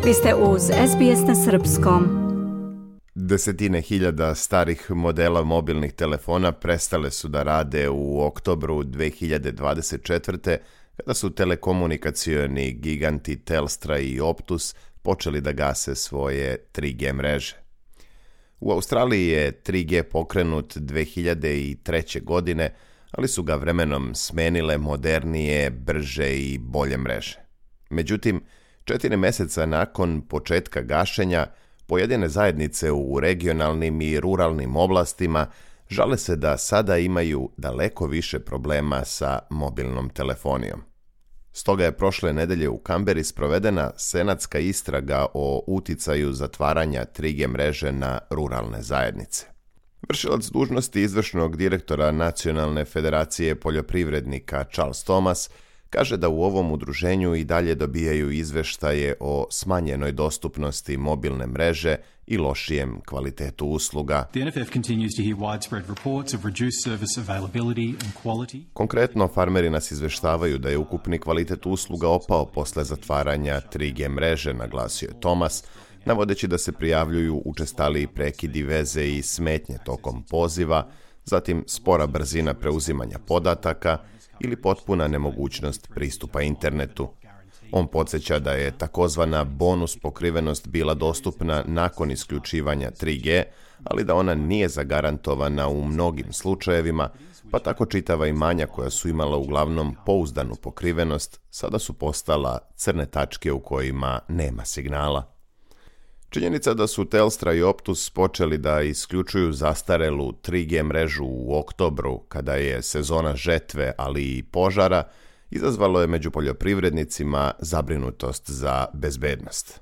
Vi ste uz SBS na srpskom. Desetine hiljada starih modela mobilnih telefona prestale su da rade u oktobru 2024. kada su telekomunikacioni giganti Telstra i Optus počeli da gase svoje 3G mreže. U Australiji je 3G pokrenut 2003. godine, ali su ga vremenom smenile modernije, brže i bolje mreže. Međutim, 4 mjeseca nakon početka gašenja, pojedine zajednice u regionalnim i ruralnim oblastima žale se da sada imaju daleko više problema sa mobilnom telefonijom. Stoga je prošle nedelje u Kamberi sprovedena senatska istraga o uticaju zatvaranja 3G mreže na ruralne zajednice. Vršilac dužnosti izvršnog direktora Nacionalne federacije poljoprivrednika Charles Thomas kaže da u ovom udruženju i dalje dobijaju izveštaje o smanjenoj dostupnosti mobilne mreže i lošijem kvalitetu usluga. Konkretno, farmeri nas izveštavaju da je ukupni kvalitet usluga opao posle zatvaranja 3G mreže, naglasio je Thomas, navodeći da se prijavljuju učestaliji prekidi veze i smetnje tokom poziva, zatim spora brzina preuzimanja podataka ili potpuna nemogućnost pristupa internetu. On podsjeća da je takozvana bonus pokrivenost bila dostupna nakon isključivanja 3G, ali da ona nije zagarantovana u mnogim slučajevima, pa tako čitava imanja koja su imala uglavnom pouzdanu pokrivenost sada su postala crne tačke u kojima nema signala. Činjenica da su Telstra i Optus počeli da isključuju zastarelu 3G mrežu u oktobru, kada je sezona žetve, ali i požara, izazvalo je među poljoprivrednicima zabrinutost za bezbednost.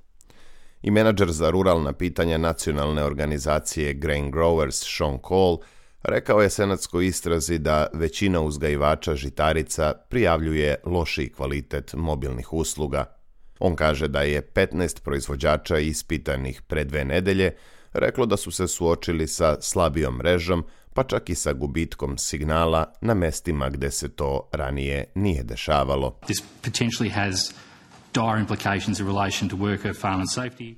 I menadžer za ruralna pitanja nacionalne organizacije Grain Growers Sean Cole rekao je senatskoj istrazi da većina uzgajivača žitarica prijavljuje lošiji kvalitet mobilnih usluga. On kaže da je 15 proizvođača ispitanih pre 2 nedelje reklo da su se suočili sa slabijom mrežom, pa čak i sa gubitkom signala na mestima gde se to ranije nije dešavalo.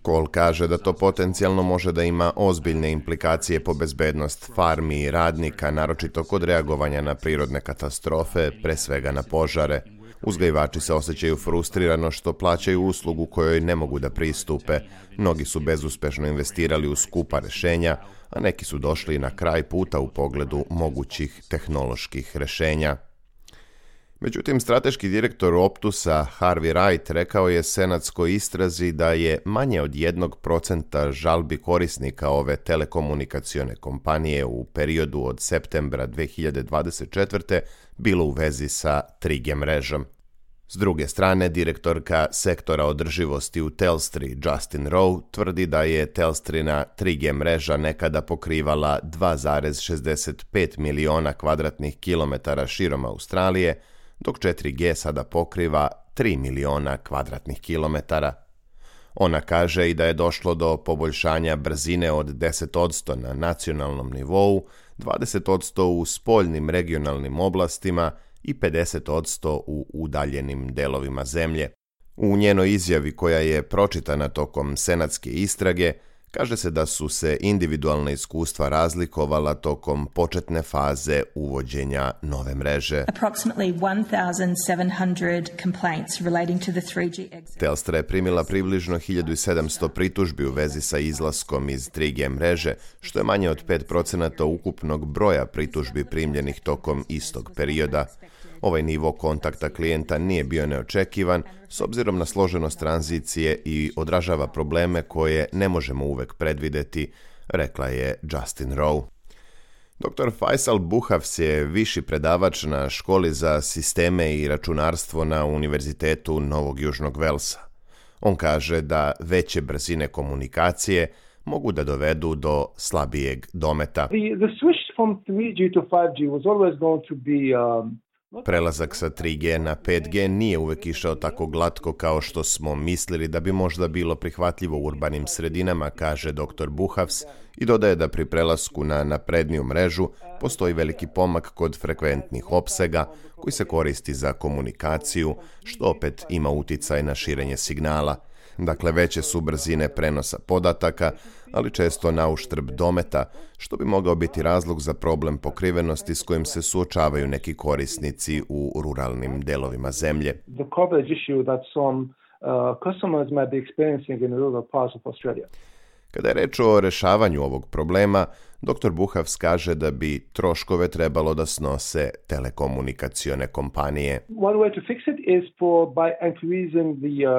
Cole kaže da to potencijalno može da ima ozbiljne implikacije po bezbednost farmi i radnika, naročito kod reagovanja na prirodne katastrofe, pre svega na požare. Uzgajivači se osjećaju frustrirano što plaćaju uslugu kojoj ne mogu da pristupe. Mnogi su bezuspešno investirali u skupa rešenja, a neki su došli na kraj puta u pogledu mogućih tehnoloških rešenja. Međutim, strateški direktor Optusa Harvey Wright rekao je senatskoj istrazi da je manje od 1% žalbi korisnika ove telekomunikacione kompanije u periodu od septembra 2024. bilo u vezi sa 3G mrežom. S druge strane, direktorka sektora održivosti u Telstri, Justin Rowe, tvrdi da je Telstrina 3G mreža nekada pokrivala 2,65 miliona kvadratnih kilometara širom Australije, dok 4G sada pokriva 3 miliona kvadratnih kilometara. Ona kaže i da je došlo do poboljšanja brzine od 10% na nacionalnom nivou, 20% u spoljnim regionalnim oblastima i 50% u udaljenim delovima zemlje. U njenoj izjavi koja je pročitana tokom senatske istrage, kaže se da su se individualna iskustva razlikovala tokom početne faze uvođenja nove mreže. Telstra je primila približno 1700 pritužbi u vezi sa izlaskom iz 3G mreže, što je manje od 5% ukupnog broja pritužbi primljenih tokom istog perioda. Ovaj nivo kontakta klijenta nije bio neočekivan s obzirom na složenost tranzicije i odražava probleme koje ne možemo uvek predvideti, rekla je Justin Rowe. Dr. Faisal Buhafs je viši predavač na školi za sisteme i računarstvo na Univerzitetu Novog Južnog Velsa. On kaže da veće brzine komunikacije mogu da dovedu do slabijeg dometa. The switch from 3G to 5G was always going to be Prelazak sa 3G na 5G nije uvek išao tako glatko kao što smo mislili da bi možda bilo prihvatljivo u urbanim sredinama, kaže dr. Buhafs i dodaje da pri prelasku na napredniju mrežu postoji veliki pomak kod frekventnih opsega koji se koristi za komunikaciju, što opet ima uticaj na širenje signala. Dakle, veće su brzine prenosa podataka, ali često na uštrb dometa, što bi mogao biti razlog za problem pokrivenosti s kojim se suočavaju neki korisnici u ruralnim delovima zemlje. The coverage issue that some customers might be experiencing in rural parts of Australia. Kada je reč o rešavanju ovog problema, dr. Buhavs kaže da bi troškove trebalo da snose telekomunikacione kompanije. One way to fix it is by increasing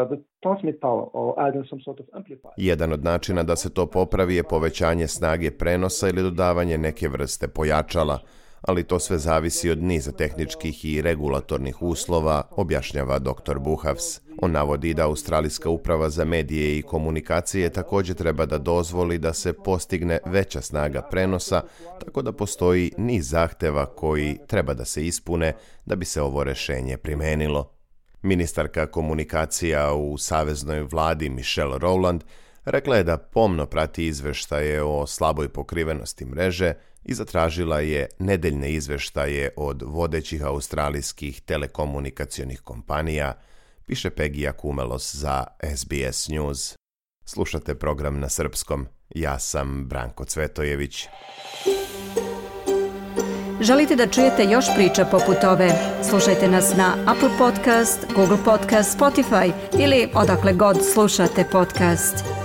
the transmit power or adding some sort of amplifier. Jedan od načina da se to popravi je povećanje snage prenosa ili dodavanje neke vrste pojačala, ali to sve zavisi od niza tehničkih i regulatornih uslova, objašnjava dr. Buhavs. On navodi da Australijska uprava za medije i komunikacije također treba da dozvoli da se postigne veća snaga prenosa, tako da postoji niz zahteva koji treba da se ispune da bi se ovo rešenje primenilo. Ministarka komunikacija u saveznoj vladi Michelle Rowland rekla je da pomno prati izveštaje o slaboj pokrivenosti mreže i zatražila je nedeljne izveštaje od vodećih australijskih telekomunikacionih kompanija, piše Pegija Kumelos za SBS News. Slušate program na srpskom. Ja sam Branko Cvetojević. Želite da čujete još priča poput ove? Slušajte nas na Apple Podcast, Google Podcast, Spotify ili odakle god slušate podcast.